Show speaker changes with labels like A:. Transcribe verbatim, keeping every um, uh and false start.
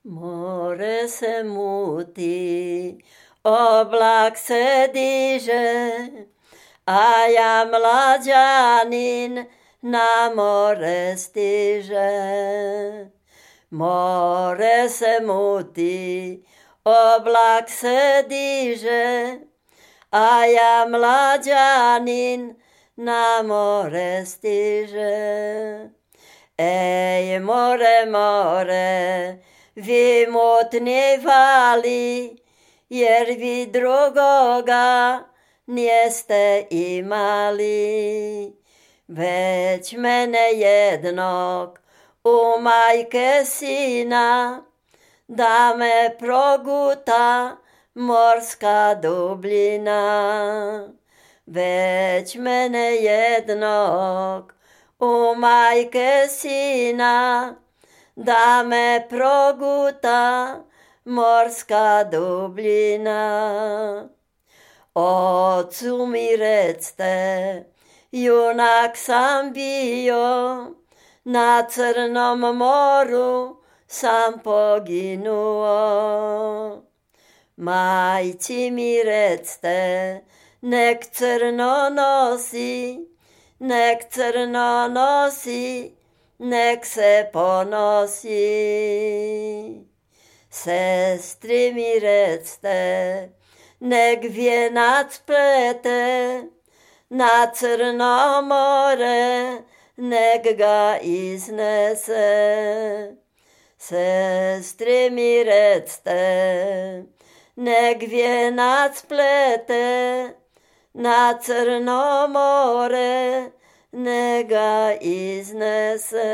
A: More se muti, oblak se diže, a ja mlađanin na more stiže. More se muti, oblak se diže, a ja mlađanin na more stiže. Ej, more, more, vi mutni vali, jer vi drugoga niste imali. Već mene jednog u majke sina, da me proguta morska dubljina. Već mene jednog u majke sina, da me proguta morska dubljina. Ocu mi recte, junak sam bio, na Crnom moru sam poginuo. Majci mi recte, nek crno nosi, nek crno nosi, nek se ponosi. Sestri mi recte, nek vijenac plete, na Crno more, nek ga iznese. Sestri mi recte, nek vijenac plete, na Crno more, nek ga iznese.